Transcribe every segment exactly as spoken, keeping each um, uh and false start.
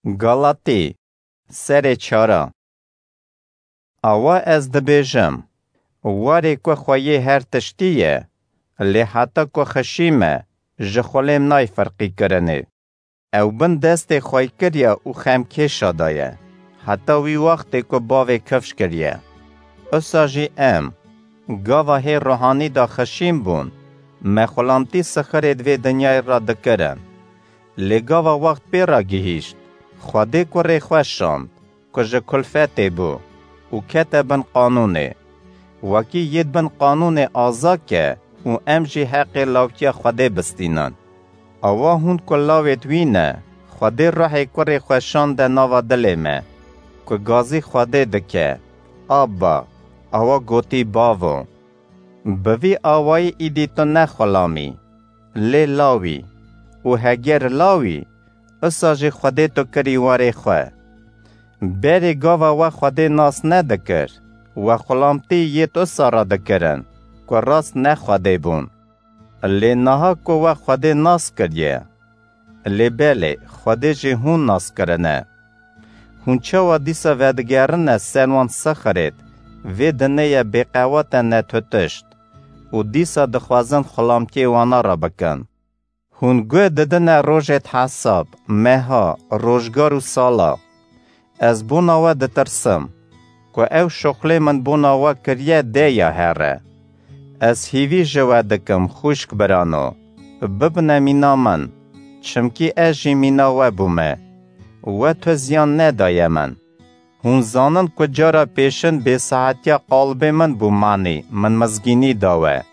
Galatî, serê çara. Awa ez dibêjim, warê ku xweyê her tiştî ye, lê heta ku xişî me, ji xulêm nayê firqîkirinê. Ew bin destê xweykirya û xemkêşa de ye, heta wî wextê ku bavê kifş kiriye. Usa jî em, gava hê ruhanî de xişîn bûn, me xulamtî sixirêd vê dinyayê re dikirin. Lê gava wext pê re gihîşt, Xwedê kurê xwe şand, ku ji kulfetê bû û kete bin qanûnê. Wekî yêd bin qanûnê aza ke û em jî heqê lawkiya Xwedê bistînin. Awa hûn ku lawêd wî ne, Xwedê ruhê kurê xwe şande nava dilê me, ku gazî Xwedê dike, Abba, awa gotî Bavo. Bi vî awayî îdî tu ne xulam î, lê law î û heger law î, usa jî Xwedê tu kirî warê xwe. Berê gava we Xwedê nas nedikir, we xulamtî yêd usa re dikirin, ku rast ne Xwedê bûn. Lê niha ku we Xwedê nas kiriye, lê belê, Xwedê jî hûn nas kirine. Hûn çawa dîsa vedigerine ser wan sixirêd, vê dinê ye bêqewate netutişt û dîsa dixwazin xulamtiyê wana re bikin? Hûn guh didine rojêd hesab, meha, rojgar û sala. Ez bona we ditirsim, ku ew şuxlê min bona we kiriye de ya here. Ez hîvî ji we dikim, xwişk birano, bibine mîna min, çimkî ez jî mîna we bûme. We tu ziyan nedaye min. Hûn zanin ku cara pêşin bêsahetiya qalbê min bû manî, min mizgînî da we.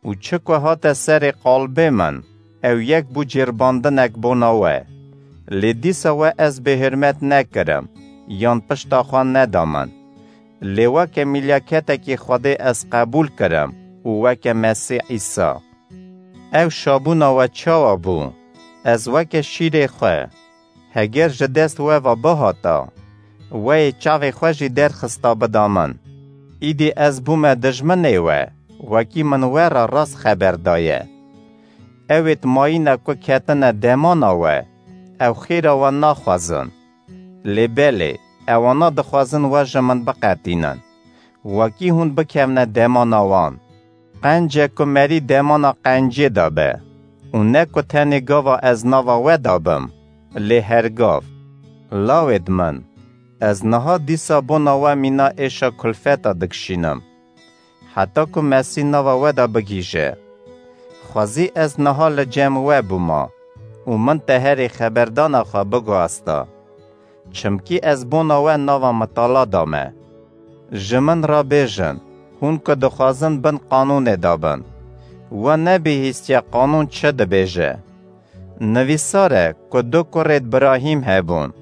Û çi ku hate serê qalbê min, ew yek bû cêrbandinek bona we. Lê dîsa we ez bêhurmet nekirim, yan pişta xwe neda min. Lê weke mîlyaketekî Xwedê ez qebûl kirim û weke Mesîh Îsa. Ew şabûna we çawa bû? Ez weke şîrê xwe, heger ji dest we ve bihata, we yê çavê xwe jî derxista bida min. Îdî ez bûme dijminê we, wekî min we re rast xeber daye. Ewêd mayîne ku ketine demana we, ew xêra we naxwazin. Lê belê, ewana dixwazin we ji min biqetînin, wekî hûn bikevne demana wan. Qence ku merî demana qencê de be, û ne ku tenê gava ez nava we de bim, lê her gav. Lawêd min, ez niha dîsa bona we mîna êşa kulfeta dikişînim, heta ku Mesîh nava we de bigihîje. Xwezî ez niha li cem we bûma û min teherê xeberdana xwe biguhesta. Çimkî ez bona we nava mitala da me. Ji min re bêjin, hûn ku dixwazin bin qanûnê de bin, we nebihîstiye qanûn çi dibêje? Nivîsar e ku du kurêd Birahîm hebûn,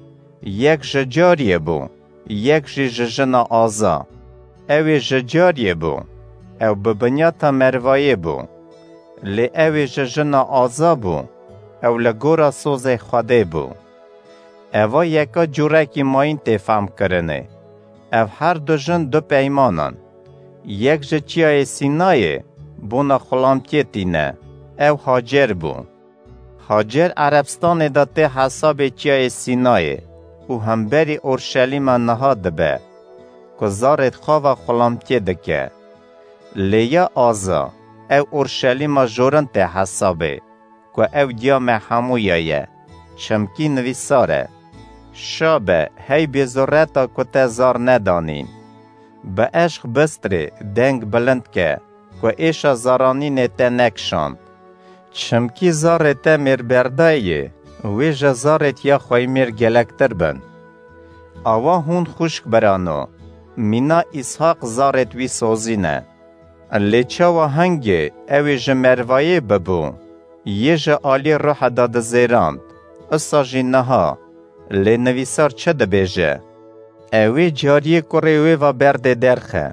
yek ji cariyê bû, yek jî ji jina aza. Ew ê ji cariyê bû, ew bi binyata mervayê bû. Lê ew ê ji jina aza bû, ew li gora sozê Xwedê bû. Eva yeka cûrekî mayîn tê femkirinê. Ev her du jin du peyman in. Yek ji çiyayê Sînayê bona xulamtiyê tîne, ew Hacer bû. Hacer Erebstanê de tê hesabê çiyayê Sînayê û hemberî Orşelîma niha dibe, ku zarêd xwe ve xulamtiyê dike. Lê ya aza, ew Orşelîma jorin tê hesabê, ku ew diya me hemûya ye, çimkî nivîsar e: Şa be, hey bêzoreta ku te zar nedanîn. Bi eşq bistirê, deng bilind ke, ku êşa zaranînê te nekişand. Çimkî zarê te mêrberdayê, wê ji zarêd ya xweymêr gelektir bin. Awa hûn xwişk birano, mîna Îshaq zarêd wî sozîne. Lê çawa hingê ew ê ji mervayê bibû, yê ji aliyê ruhe de dizêrand, usa jî niha, lê nivîsar çi dibêje? Ew ê cariyê kurê wê ve berdê derxe,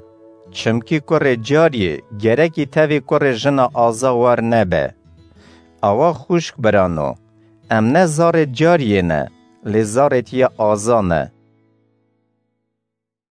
çimkî kurê cariyê gerekî tevî kurê jina aza war nebe. Awa xwişk birano, em ne zarêd cariyê ne, lê zarêd ya aza ne.